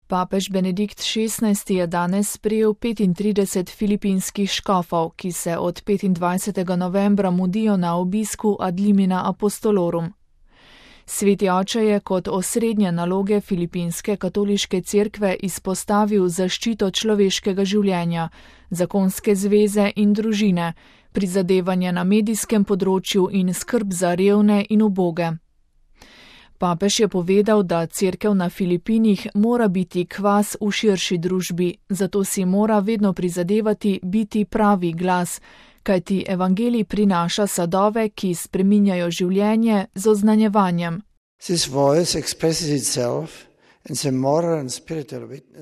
Papež Benedikt XVI je danes sprejel 35 filipinskih škofov, ki se od 25. novembra mudijo na obisku ad limina apostolorum. Sveti oče je kot osrednje naloge filipinske katoliške cerkve izpostavil zaščito človeškega življenja, zakonske zveze in družine, prizadevanje na medijskem področju in skrb za revne in uboge. Papež je povedal, da cerkev na Filipinih mora biti kvas v širši družbi, zato si mora vedno prizadevati biti pravi glas, kajti evangelij prinaša sadove, ki spreminjajo življenje z oznanjevanjem.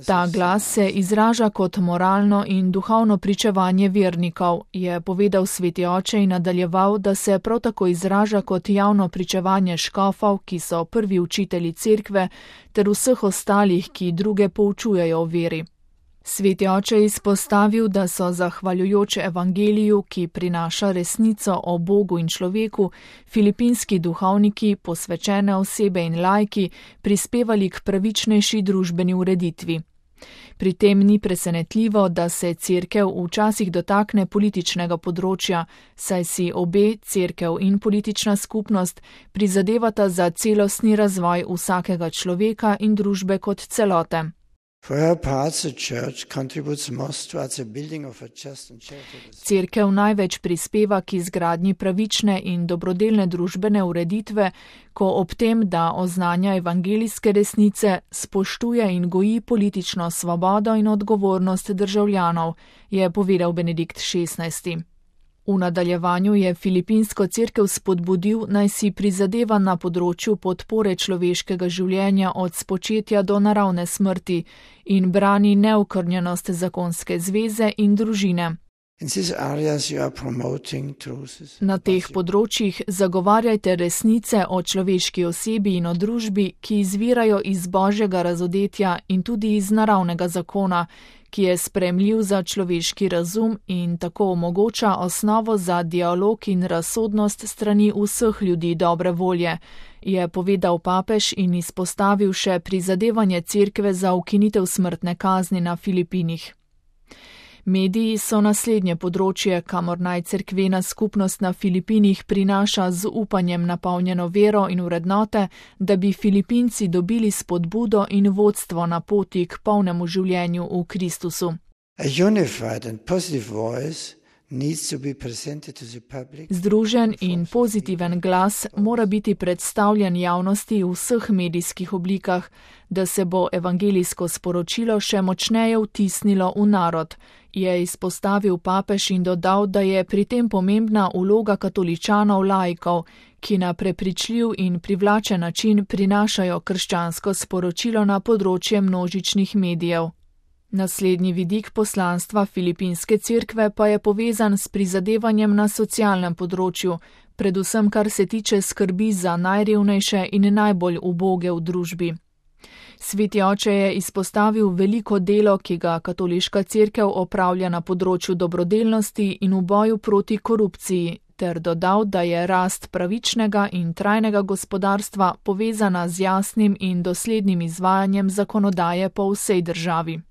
Ta glas se izraža kot moralno in duhovno pričevanje vernikov, je povedal sveti oče in nadaljeval, da se prav tako izraža kot javno pričevanje škofov, ki so prvi učitelji cerkve, ter vseh ostalih, ki druge poučujejo o veri. Sveti oče je izpostavil, da so zahvaljujoč evangeliju, ki prinaša resnico o Bogu in človeku, filipinski duhovniki, posvečene osebe in laiki prispevali k pravičnejši družbeni ureditvi. Pri tem ni presenetljivo, da se cerkev včasih dotakne političnega področja, saj si obe, cerkev in politična skupnost, prizadevata za celostni razvoj vsakega človeka in družbe kot celote. Cerkev največ prispeva k izgradnji pravične in dobrodelne družbene ureditve, ko ob tem, da oznanja evangelijske resnice, spoštuje in goji politično svobodo in odgovornost državljanov, je povedal Benedikt XVI. V nadaljevanju je filipinsko cerkev spodbudil, naj si prizadeva na področju podpore človeškega življenja od spočetja do naravne smrti in brani neokrnjenost zakonske zveze in družine. Na teh področjih zagovarjajte resnice o človeški osebi in o družbi, ki izvirajo iz božjega razodetja in tudi iz naravnega zakona, ki je sprejemljiv za človeški razum in tako omogoča osnovo za dialog in razsodnost strani vseh ljudi dobre volje, je povedal papež in izpostavil še prizadevanje cerkve za ukinitev smrtne kazni na Filipinih. Mediji so naslednje področje, kamor naj cerkvena skupnost na Filipinih prinaša z upanjem napolnjeno vero in vrednote, da bi Filipinci dobili spodbudo in vodstvo na poti k polnemu življenju v Kristusu. Združen in pozitiven glas mora biti predstavljen javnosti v vseh medijskih oblikah, da se bo evangelijsko sporočilo še močneje vtisnilo v narod, je izpostavil papež in dodal, da je pri tem pomembna vloga katoličanov laikov, ki na prepričljiv in privlačen način prinašajo krščansko sporočilo na področje množičnih medijev. Naslednji vidik poslanstva filipinske cerkve pa je povezan s prizadevanjem na socialnem področju, predvsem kar se tiče skrbi za najrevnejše in najbolj uboge v družbi. Sveti oče je izpostavil veliko delo, ki ga katoliška cerkev opravlja na področju dobrodelnosti in v boju proti korupciji, ter dodal, da je rast pravičnega in trajnega gospodarstva povezana z jasnim in doslednim izvajanjem zakonodaje po vsej državi.